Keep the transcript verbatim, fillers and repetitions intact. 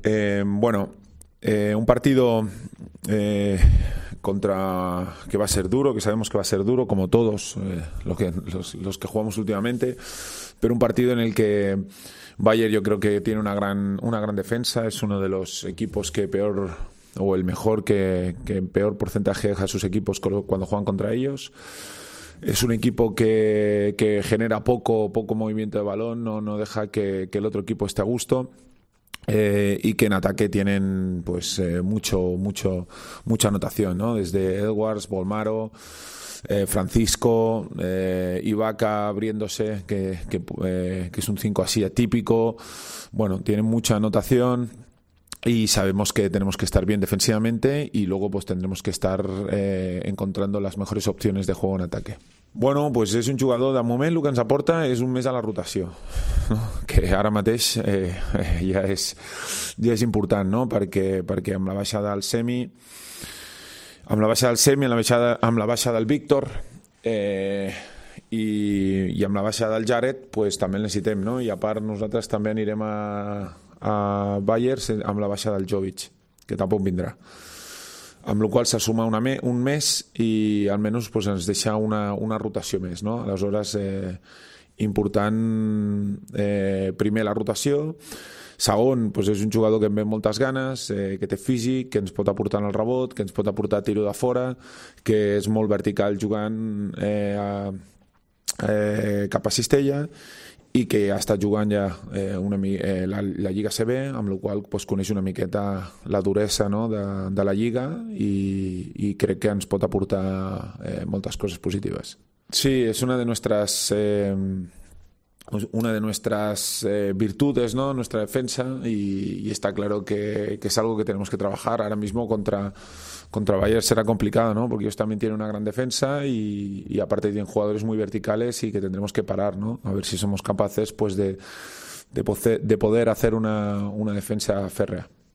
Eh, bueno, eh, un partido eh, contra que va a ser duro, que sabemos que va a ser duro, como todos eh, lo que, los, los que jugamos últimamente, pero un partido en el que Bayern yo creo que tiene una gran, una gran defensa, es uno de los equipos que peor, o el mejor que, que peor porcentaje deja a sus equipos cuando juegan contra ellos. Es un equipo que, que genera poco, poco movimiento de balón, no, no deja que, que el otro equipo esté a gusto. Eh, y que en ataque tienen pues eh, mucho mucho mucha anotación, ¿no? Desde Edwards, Bolmaro, eh, Francisco, eh, Ibaka abriéndose, que, que, eh, que es un cinco así atípico. Bueno, tienen mucha anotación y sabemos que tenemos que estar bien defensivamente y luego pues tendremos que estar eh, encontrando las mejores opciones de juego en ataque. Bueno, pues és un jugador, de moment el que ens aporta és un mes a la rotació, no? Que ara mateix eh, eh, ja, és, ja és important, no? perquè, perquè amb la baixada del Semi, amb la baixada del Semi, amb la baixada, amb la baixada del Víctor eh, i, i amb la baixada del Jared pues, també el necessitem, no? I a part nosaltres també anirem a, a Bayern amb la baixada del Jovic, que tampoc vindrà. Amb la qual se suma una me, un mes i almenys pues, ens deixa una, una rotació més, no? Aleshores, eh, important eh, primer la rotació, segon, pues, és un jugador que em ve moltes ganes, eh, que té físic, que ens pot aportar en el rebot, que ens pot aportar tiro de fora, que és molt vertical jugant eh, a, eh, cap a cistella i que ha estat jugant ja eh, una, eh, la, la Lliga C B, amb la qual pues, coneix una miqueta la duresa, no? de, de la Lliga i, i crec que ens pot aportar eh, moltes coses positives. Sí, és una de nuestras eh, una de nuestras eh, virtudes, ¿no? Nuestra defensa y, y está claro que, que es algo que tenemos que trabajar. Ahora mismo contra, contra Bayern será complicado, ¿no? Porque ellos también tienen una gran defensa y, y aparte tienen jugadores muy verticales y que tendremos que parar, ¿no? A ver si somos capaces pues de, de, poder, de poder hacer una, una defensa férrea.